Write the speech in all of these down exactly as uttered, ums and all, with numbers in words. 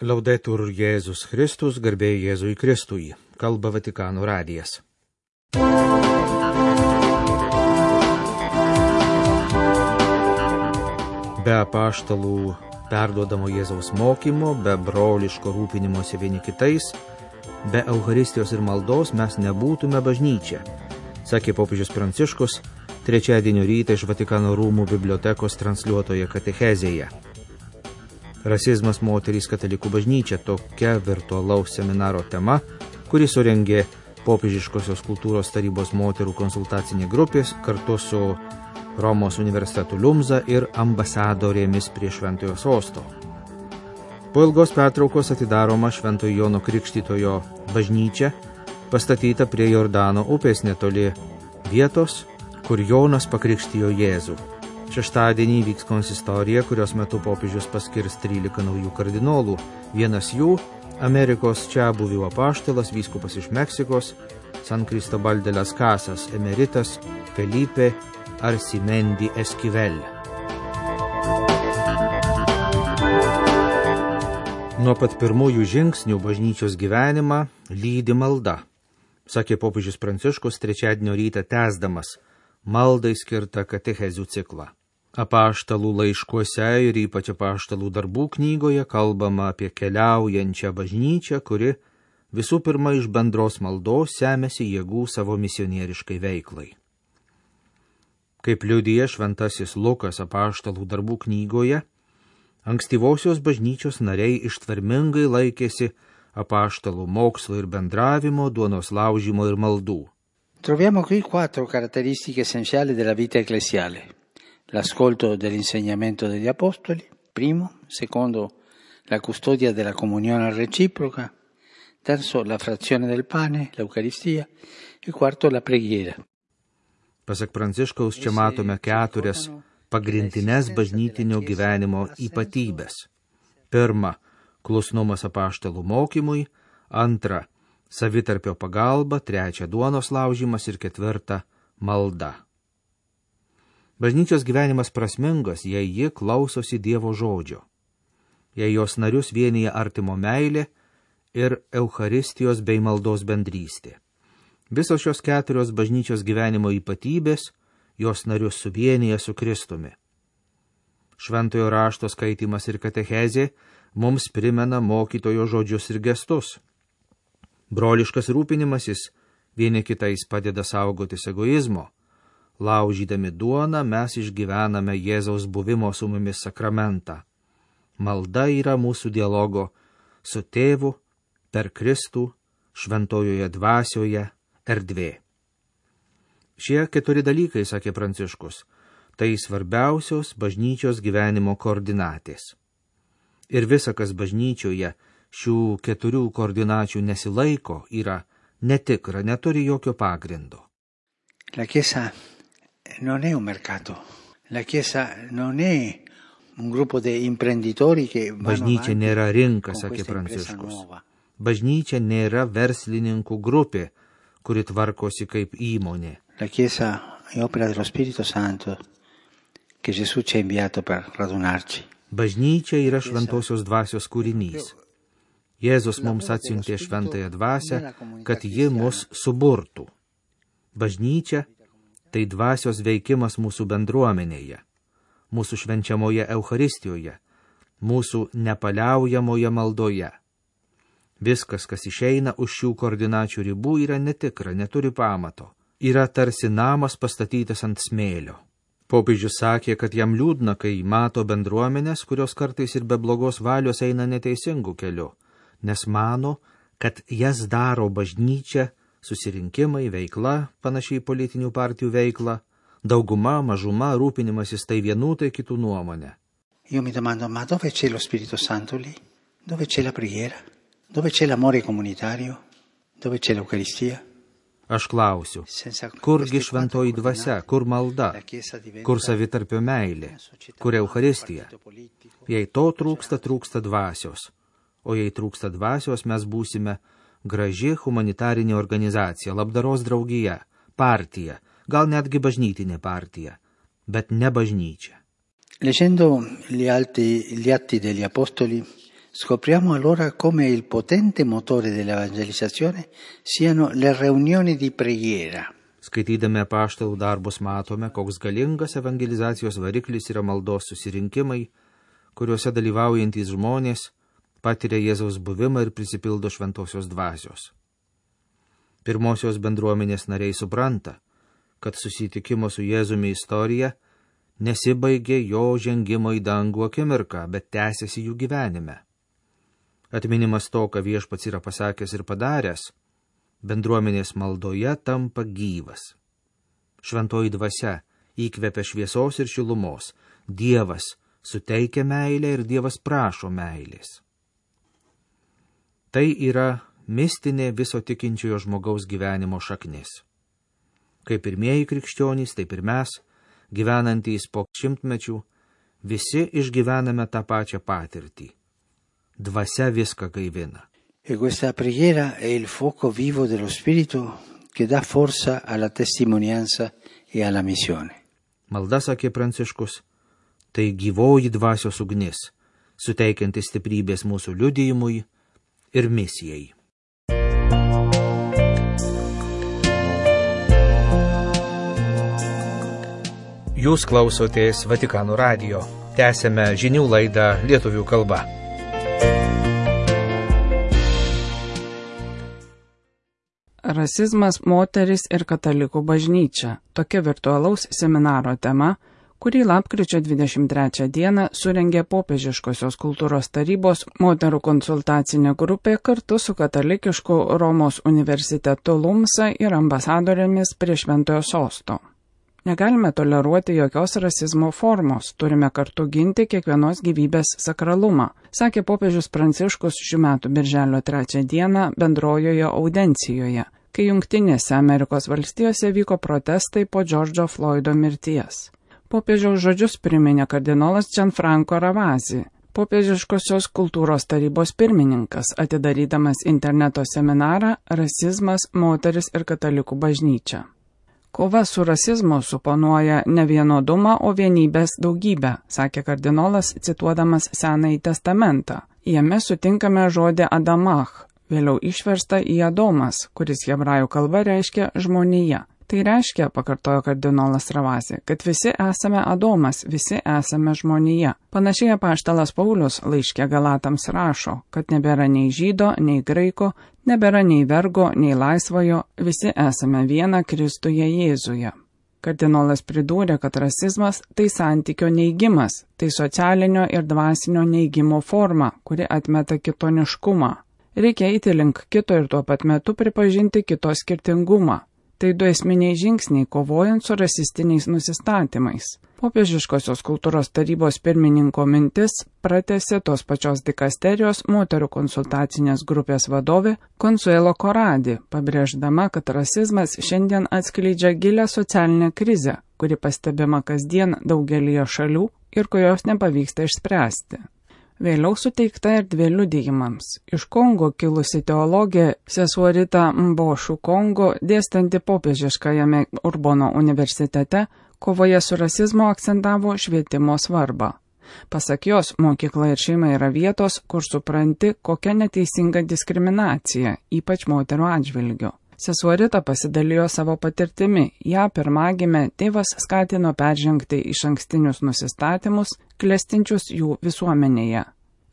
Laudetur Jėzus Kristus, garbė Jėzui Kristui, kalba Vatikano radijas. Be apaštalų perduodamo Jėzaus mokymo, be broliško rūpinimosi vieni kitais, be Eucharistijos ir maldos mes nebūtume bažnyčia, sakė popiežius Pranciškus trečiadienio rytą iš Vatikano rūmų bibliotekos transliuotoje katechezėje. Rasizmas moterys katalikų bažnyčia – tokia virtualaus seminaro tema, kuri surengė Popiežiškosios kultūros tarybos moterų konsultacinė grupės kartu su Romos universitetu Lumza ir ambasadorėmis prie Šventojo Sosto. Po ilgos pertraukos atidaroma Šventojo Jono Krikštytojo bažnyčia, pastatyta prie Jordano upės netoli vietos, kur Jonas pakrikštijo Jėzų. Šeštadienį vyks konsistorija, kurios metu popiežius paskirs trylika naujų kardinolų. Vienas jų – Amerikos čiabuvių apaštalas, vyskupas iš Meksikos, San Cristobal de las Casas emeritas Felipe Arsimendi Esquivel. Nuo pat pirmųjų žingsnių bažnyčios gyvenimą lydi malda, sakė popiežius Pranciškus trečiadienio rytą tęsdamas maldai skirtą katechezių ciklą. Apaštalų laiškuose ir ypač apaštalų darbų knygoje kalbama apie keliaujančią bažnyčią, kuri visų pirma iš bendros maldos semiasi jėgų savo misionieriškai veiklai. Kaip liudija šventasis Lukas apaštalų darbų knygoje, ankstyvosios bažnyčios nariai ištvermingai laikėsi apaštalų mokslo ir bendravimo, duonos laužymo ir maldų. Troviamo qui quattro caratteristiche essenziali della vita ecclesiale. L'ascolto dell'insegnamento degli apostoli, primo, secondo, la custodia della comunione reciproca, terzo, la frazione del pane, l'Eucaristia, e quarto, la preghiera. Pasak Pranciškaus, čia matome keturias pagrindinės bažnytinio gyvenimo ypatybės. Pirma, klusnumas apaštalų mokymui, antra, savitarpio pagalba, trečia, duonos laužymas ir ketvirta, malda. Bažnyčios gyvenimas prasmingas, jei ji klausosi Dievo žodžio, jei jos narius vienyje artimo meilė ir Eucharistijos bei maldos bendrystė. Visos šios keturios bažnyčios gyvenimo ypatybės jos narius suvienyje su Kristumi. Šventojo rašto skaitymas ir katechezė mums primena mokytojo žodžius ir gestus. Broliškas rūpinimasis vieni kitais padeda saugotis egoizmo. Laužydami duoną mes išgyvename Jėzaus buvimo su mumis sakramentą. Malda yra mūsų dialogo su tėvu per Kristų šventojoje dvasioje erdvė. Šie keturi dalykai, sakė Pranciškus, tai svarbiausios bažnyčios gyvenimo koordinatės. Ir visa, kas bažnyčioje šių keturių koordinačių nesilaiko, yra netikra, neturi jokio pagrindo. La Chiesa non è un mercato. La Chiesa non è un gruppo di imprenditori che vanno Bažnyčia nėra rinka, sakė Pranciškus. Bažnyčia nėra verslininkų grupė, kuri tvarkosi kaip įmonė. La Chiesa è opera dello Spirito Santo che Gesù ci ha inviato per radunarci. Bažnyčia yra šventosios dvasios kūrinys. Jėzus mums atsiuntė šventąją dvasią, kad ji mus suburtų. Bažnyčia tai dvasios veikimas mūsų bendruomenėje, mūsų švenčiamoje Eucharistijoje, mūsų nepaliaujamoje maldoje. Viskas, kas išeina už šių koordinačių ribų, yra netikra, neturi pamato. Yra tarsi namas pastatytas ant smėlio. Popiežius sakė, kad jam liūdna, kai mato bendruomenės, kurios kartais ir be blogos valios eina neteisingų keliu, nes mano, kad jas daro bažnyčia, susirinkimai, veikla, panašiai politinių partijų veikla, dauguma, mažuma, rūpinimasis tai vienų, tai kitų nuomonė. Io mi domando, ma dove c'è lo Spirito Santo lì? Dove c'è la preghiera? Dove c'è l'amore comunitario? Dove c'è l'Eucaristia? Aš klausiu, kurgi šventoji dvasia, kur malda, kur savitarpio meilė, kur Eucharistija? Jei to trūksta, trūksta dvasios, o jei trūksta dvasios, mes būsime graži humanitarinė organizacija, labdaros draugija, partija, gal netgi bažnytinė partija, bet ne bažnyčia. Leggendo gli atti, gli atti degli apostoli, Scopriamo allora come il potente motore dell'evangelizzazione siano le riunioni di preghiera. Skaitydami apaštalų darbus matome, koks galingas evangelizacijos variklis yra maldos susirinkimai, kuriuose dalyvaujantys žmonės patiria Jėzaus buvimą ir prisipildo šventosios dvasios. Pirmosios bendruomenės nariai supranta, kad susitikimo su Jėzumi istorija nesibaigė jo žengimo į dangų akimirką, bet tęsiasi jų gyvenime. Atminimas to, ką Viešpats yra pasakęs ir padaręs, bendruomenės maldoje tampa gyvas. Šventoji dvasia įkvepia šviesos ir šilumos, Dievas suteikia meilę ir Dievas prašo meilės. Tai yra mistinė viso tikinčiojo žmogaus gyvenimo šaknis. Kaip pirmieji krikščionys, taip ir mes, gyvenantys po šimtmečių, visi išgyvename tą pačią patirtį. Dvasia viską gaivina. E questa preghiera è il fuoco vivo dello Spirito che dà forza alla testimonianza e alla missione. Malda, sakė Pranciškus, tai gyvoji dvasios ugnis, suteikianti stiprybės mūsų liudijimui ir misijai. Jūs klausotės Vatikano radijo. Tęsėme žinių laidą lietuvių kalba. Rasizmas, moteris ir katalikų bažnyčia. Tokia virtualaus seminaro tema, kurį lapkričio dvidešimt trečią dieną surengė Popiežiškosios kultūros tarybos moterų konsultacinė grupė kartu su katalikišku Romos universitetu Lumsa ir ambasadorėmis prie Šventojo Sosto. Negalime toleruoti jokios rasizmo formos, turime kartu ginti kiekvienos gyvybės sakralumą, sakė popiežius Pranciškus šių metų birželio trečią dieną bendrojoje audencijoje, kai Jungtinėse Amerikos valstijose vyko protestai po Džordžo Floido mirties. Popiežiaus žodžius priminė kardinolas Gianfranco Ravasi, Popiežiškosios kultūros tarybos pirmininkas, atidarydamas interneto seminarą Rasizmas, moteris ir katalikų bažnyčia. Kova su rasizmu suponuoja ne vienodumą, o vienybės daugybę, sakė kardinolas, cituodamas Senąjį testamentą. Jame sutinkame žodį Adamach, vėliau išversta į Adomas, kuris hebrajų kalba reiškia žmonija. Tai reiškia, pakartojo kardinolas Ravasi, kad visi esame Adomas, visi esame žmonija. Panašiai apaštalas Paulius laiške Galatams rašo, kad nebėra nei žydo, nei graiko, nebėra nei vergo, nei laisvojo, visi esame viena Kristuje Jėzuje. Kardinolas pridūrė, kad rasizmas tai santykio neigimas, tai socialinio ir dvasinio neigimo forma, kuri atmeta kitoniškumą. Reikia eiti link kito ir tuo pat metu pripažinti kito skirtingumą. Tai du esminiai žingsniai kovojant su rasistiniais nusistatymais. Popiežiškosios kultūros tarybos pirmininko mintis pratęsė tos pačios dikasterijos moterų konsultacinės grupės vadovė Consuelo Corradi, pabrėždama, kad rasizmas šiandien atskleidžia gilią socialinę krizę, kuri pastebima kasdien daugelyje šalių ir kurios nepavyksta išspręsti. Vėliau suteikta erdvė liudijimams. Iš Kongo kilusi teologė sesuo Rita Mbošu Kongo, dėstanti popiežiškajame Urbono universitete, kovoje su rasizmu akcentavo švietimo svarbą. Pasak jos, mokykla ir šeima yra vietos, kur supranti, kokia neteisinga diskriminacija, ypač moterų atžvilgiu. Sesuo Rita pasidalijo savo patirtimi. Ja pirmagimė tėvas skatino peržengti išankstinius nusistatymus, klestinčius jų visuomenėje.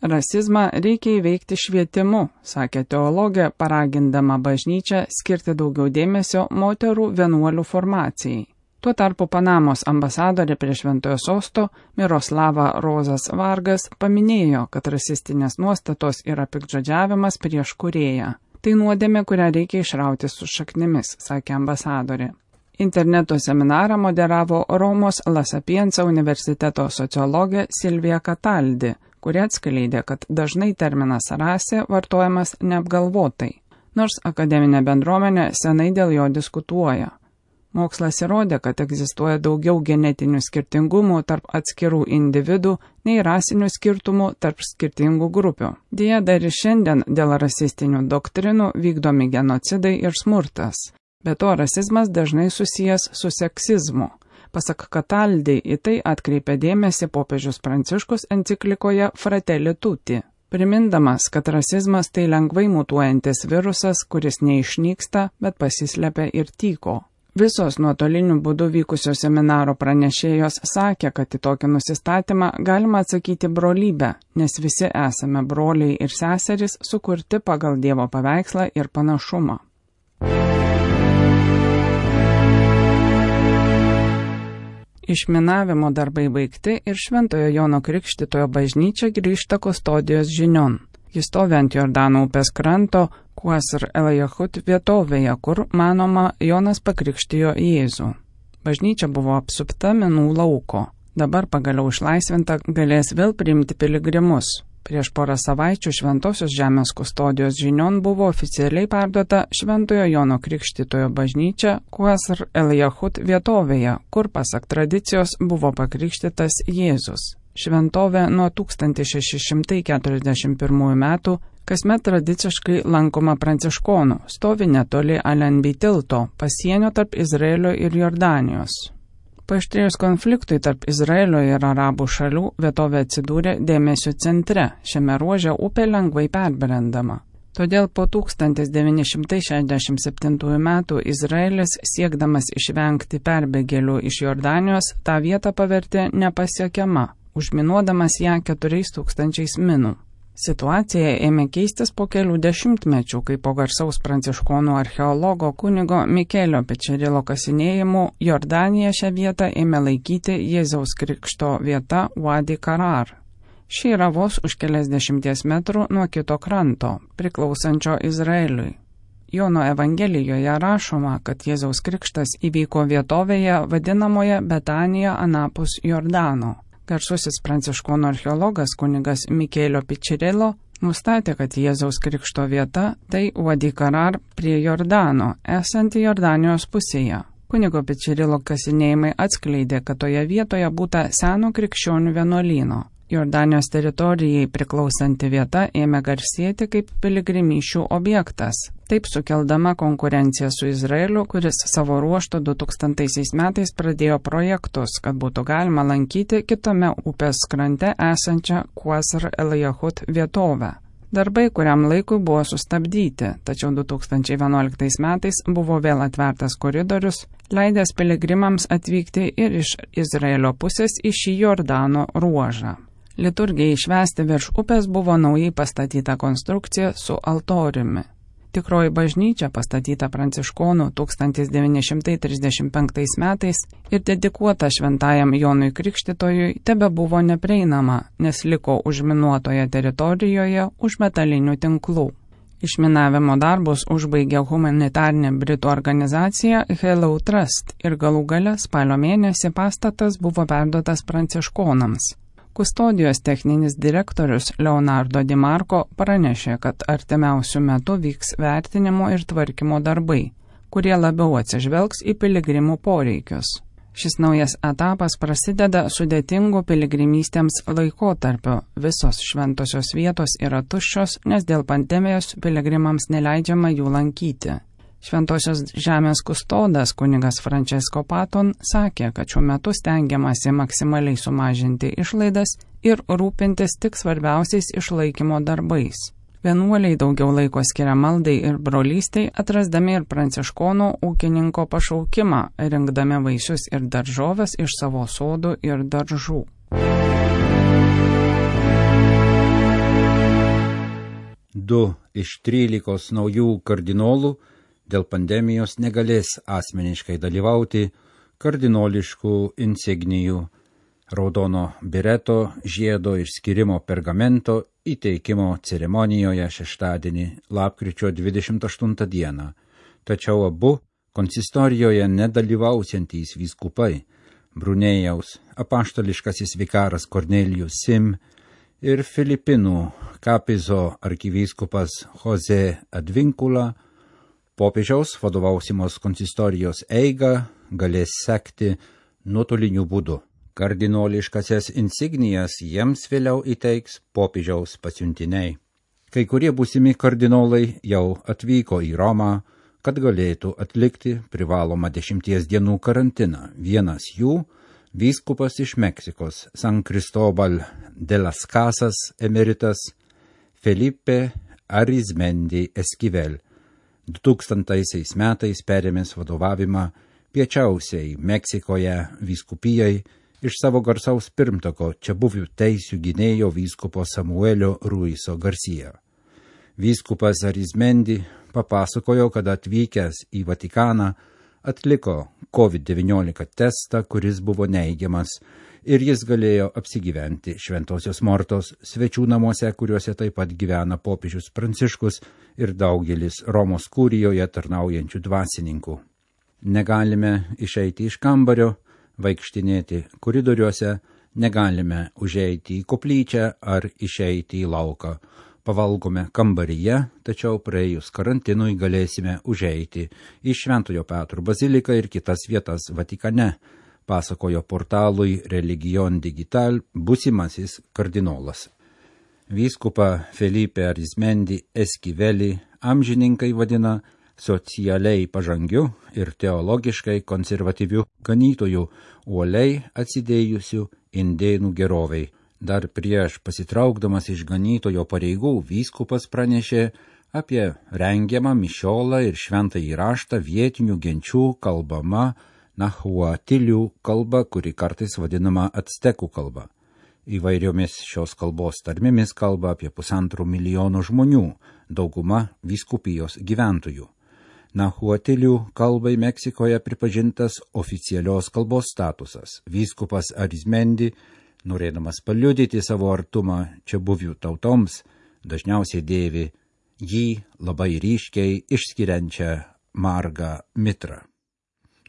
Rasizmą reikia įveikti švietimu, sakė teologė, paragindama bažnyčią skirti daugiau dėmesio moterų vienuolių formacijai. Tuo tarpu Panamos ambasadorė prie Šventojo Sosto Miroslava Rozas Vargas paminėjo, kad rasistinės nuostatos yra piktžodžiavimas prieš kūrėją. Tai nuodėmė, kurią reikia išrauti su šaknimis, sakė ambasadorė. Interneto seminarą moderavo Romos La Sapienza universiteto sociologė Silvija Cataldi, kuri atskleidė, kad dažnai terminas rasė vartojamas neapgalvotai, nors akademinė bendruomenė senai dėl jo diskutuoja. Mokslas įrodė, kad egzistuoja daugiau genetinių skirtingumų tarp atskirų individų nei rasinių skirtumų tarp skirtingų grupių. Deja, dar ir šiandien dėl rasistinių doktrinų vykdomi genocidai ir smurtas. Be to, rasizmas dažnai susijęs su seksizmu. Pasak Cataldi, į tai atkreipė dėmesį popiežius Pranciškus enciklikoje Fratelli Tutti. primindamas, kad rasizmas tai lengvai mutuojantis virusas, kuris neišnyksta, bet pasislepia ir tyko. Visos nuotoliniu būdu vykusio seminaro pranešėjos sakė, kad į tokį nusistatymą galima atsakyti brolybę, nes visi esame broliai ir seserys sukurti pagal Dievo paveikslą ir panašumą. Išminavimo darbai baigti ir Šventojo Jono Krikštytojo bažnyčia grįžta kustodijos žinion. Jis stovi ant Jordano upės kranto, Qasr el-Yahud vietovėje, kur, manoma, Jonas pakrikštijo Jėzų. Bažnyčia buvo apsupta minų lauko. Dabar pagaliau išlaisvinta galės vėl priimti piligrimus. Prieš porą savaičių Šventosios žemės kustodijos žinion buvo oficialiai perduota Šventojo Jono Krikštytojo bažnyčia Qasr el-Yahud vietovėje, kur pasak tradicijos buvo pakrikštytas Jėzus. Šventovė nuo tūkstantis šeši šimtai keturiasdešimt pirmųjų metų kasmet tradiciškai lankoma pranciškonų, stovi netoli Alenbi tilto, pasienio tarp Izraelio ir Jordanijos. Paaštrėjus konfliktui tarp Izraelio ir arabų šalių, vietovė atsidūrė dėmesio centre, šiame ruože upė lengvai perbrendama. Todėl po tūkstantis devyni šimtai šešiasdešimt septintųjų metų Izraelis, siekdamas išvengti perbėgėlių iš Jordanijos, tą vietą pavertė nepasiekiama, užminuodamas ją keturiais tūkstančiais minų. Situacija ėmė keistis po kelių dešimtmečių, kai po garsaus pranciškonų archeologo kunigo Mikelio Pečerilo kasinėjimų Jordanija šią vietą ėmė laikyti Jėzaus krikšto vieta Wadi Karar. Ši yra vos už keliasdešimties metrų nuo kito kranto, priklausančio Izraeliui. Jono Evangelijoje rašoma, kad Jėzaus krikštas įvyko vietovėje vadinamoje Betanija anapus Jordano. Garsusis pranciškonų archeologas kunigas Mikelio Pečerilo nustatė, kad Jėzaus krikšto vieta tai Wadi Karar prie Jordano, esanti Jordanijos pusėje. Kunigo Pečerilo kasinėjimai atskleidė, kad toje vietoje būta seno krikščionių vienuolyno. Jordanijos teritorijai priklausanti vieta ėmė garsėti kaip piligrimysčių objektas, taip sukeldama konkurenciją su Izraeliu, kuris savo ruožtu du tūkstantaisiais metais pradėjo projektus, kad būtų galima lankyti kitame upės krante esančią Qasr el-Yahud vietovę. Darbai kuriam laikui buvo sustabdyti, tačiau du tūkstančiai vienuoliktais metais buvo vėl atvertas koridorius, leidęs piligrimams atvykti ir iš Izraelio pusės į šį Jordano ruožą. Liturgijai švęsti virš upės buvo naujai pastatyta konstrukcija su altoriumi. Tikroji bažnyčia, pastatyta pranciškonų tūkstantis devyni šimtai trisdešimt penktais metais ir dedikuota šventajam Jonui Krikštytojui, tebe buvo neprieinama, nes liko užminuotoje teritorijoje už metalinių tinklų. Išminavimo darbus užbaigė humanitarinė Britų organizacija Hello Trust ir galų gale spalio mėnesį pastatas buvo perduotas pranciškonams. Kustodijos techninis direktorius Leonardo Di Marco pranešė, kad artimiausių metų vyks vertinimo ir tvarkymo darbai, kurie labiau atsižvelgs į piligrimų poreikius. Šis naujas etapas prasideda sudėtingu piligrimystėms laikotarpiu. Visos šventosios vietos yra tuščios, nes dėl pandemijos piligrimams neleidžiama jų lankyti. Šventosios žemės kustodas kunigas Francesco Paton sakė, kad šiuo metu stengiamasi maksimaliai sumažinti išlaidas ir rūpintis tik svarbiausiais išlaikymo darbais. Vienuoliai daugiau laiko skiria maldai ir brolystei, atrasdami ir pranciškono ūkininko pašaukimą, rinkdami vaisius ir daržoves iš savo sodų ir daržų. Du iš trylikos naujų kardinolų dėl pandemijos negalės asmeniškai dalyvauti kardinoliškų insignijų, raudono bireto, žiedo ir skirimo pergamento įteikimo ceremonijoje šeštadienį, lapkričio dvidešimt aštuntą dieną. Tačiau abu konsistorijoje nedalyvausiantys vyskupai, Brunėjaus apaštališkasis vikaras Kornelijus Sim ir Filipinų Kapizo arkivyskupas Jose Advincula, popiežiaus vadovausimos konsistorijos eigą galės sekti nuotoliniu būdu. Kardinoliškasias insignijas jiems vėliau įteiks popiežiaus pasiuntiniai. Kai kurie būsimi kardinolai jau atvyko į Romą, kad galėtų atlikti privalomą dešimties dienų karantiną. Vienas jų – vyskupas iš Meksikos, San Cristobal de las Casas emeritas Felipe Arizmendi Esquivel dutūkstantaisiais metais perėmęs vadovavimą piečiausiai Meksikoje vyskupijai iš savo garsaus pirmtako čia buvių teisių gynėjo vyskupo Samuelio Ruiso Garcia. Vyskupas Arizmendi papasakojo, kad atvykęs į Vatikaną atliko COVID devyniolika testą, kuris buvo neigiamas, ir jis galėjo apsigyventi Šventosios Mortos svečių namuose, kuriuose taip pat gyvena popiežius Pranciškus ir daugelis Romos kurijoje tarnaujančių dvasininkų. Negalime išeiti iš kambario, vaikštinėti koridoriuose, negalime užeiti į koplyčią ar išeiti į lauką. Pavalgome kambaryje, tačiau praėjus karantinui galėsime užeiti į Šventojo Petro baziliką ir kitas vietas Vatikane, pasakojo portalui Religion Digital būsimasis kardinolas. Vyskupą Felipe Arizmendi Esquivelį amžininkai vadina socialiai pažangiu ir teologiškai konservatyviu ganytoju, uoliai atsidėjusiu indėnų geroviai. Dar prieš pasitraukdamas iš ganytojo pareigų vyskupas pranešė apie rengiamą mišiolą ir šventąjį raštą vietinių genčių kalbama nahuatilių kalba, kuri kartais vadinama actekų kalba. Įvairiomis šios kalbos tarmėmis kalba apie pusantro milijono žmonių, dauguma vyskupijos gyventojų. Nahuatilių kalbai Meksikoje pripažintas oficialios kalbos statusas. Vyskupas Arizmendi, norėdamas paliudyti savo artumą čia buvių tautoms, dažniausiai dėvi jį labai ryškiai išskiriančią margą mitrą.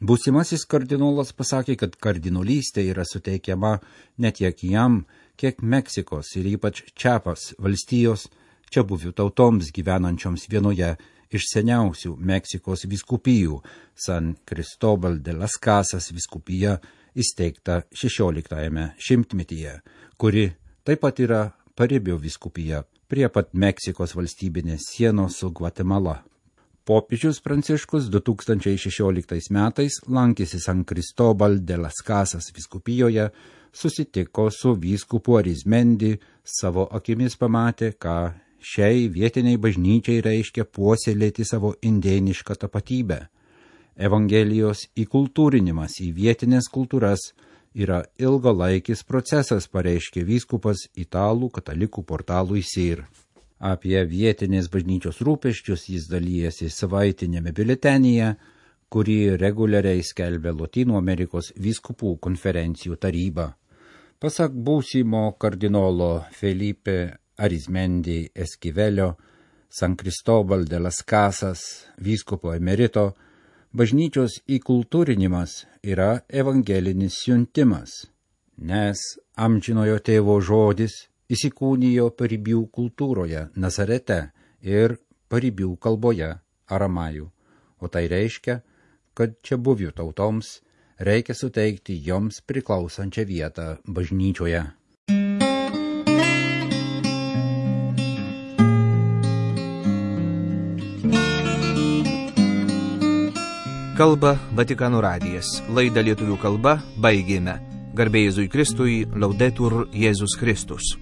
Būsimasis kardinolas pasakė, kad kardinolystė yra suteikiama ne tiek jam, kiek Meksikos ir ypač Čiapas valstijos čia buvių tautoms gyvenančioms vienoje iš seniausių Meksikos vyskupijų, San Cristobal de las Casas vyskupija, įsteigta šešioliktajame šimtmetyje, kuri taip pat yra paribio vyskupija prie pat Meksikos valstybinės sienos su Gvatemala. Popiežius Pranciškus du tūkstančiai šešioliktais metais lankėsi San Cristobal de las Casas vyskupijoje, susitiko su vyskupu Arizmendi, savo akimis pamatė, ką šiai vietiniai bažnyčiai reiškia puoselėti savo indėnišką tapatybę. Evangelijos įkultūrinimas į vietinės kultūras yra ilgalaikis procesas, pareiškė vyskupas italų katalikų portalui S I R. Apie vietinės bažnyčios rūpesčius jis dalyjasi savaitinėme biuletenyje, kurį reguliariai skelbia Lotynų Amerikos vyskupų konferencijų taryba. Pasak būsimo kardinolo Felipe Arizmendi Esquivelio, San Cristobal de las Casas vyskupo emerito, bažnyčios įkultūrinimas yra evangelinis siuntimas, nes amžinojo tėvo žodis įsikūnijo paribių kultūroje Nazarete ir paribių kalboje aramajų, o tai reiškia, kad čia buvių tautoms reikia suteikti joms priklausančią vietą bažnyčioje. Kalba Vatikano radijas. Laidą lietuvių kalba baigėme. Garbė Jėzui Kristui, Laudetur Jėzus Kristus.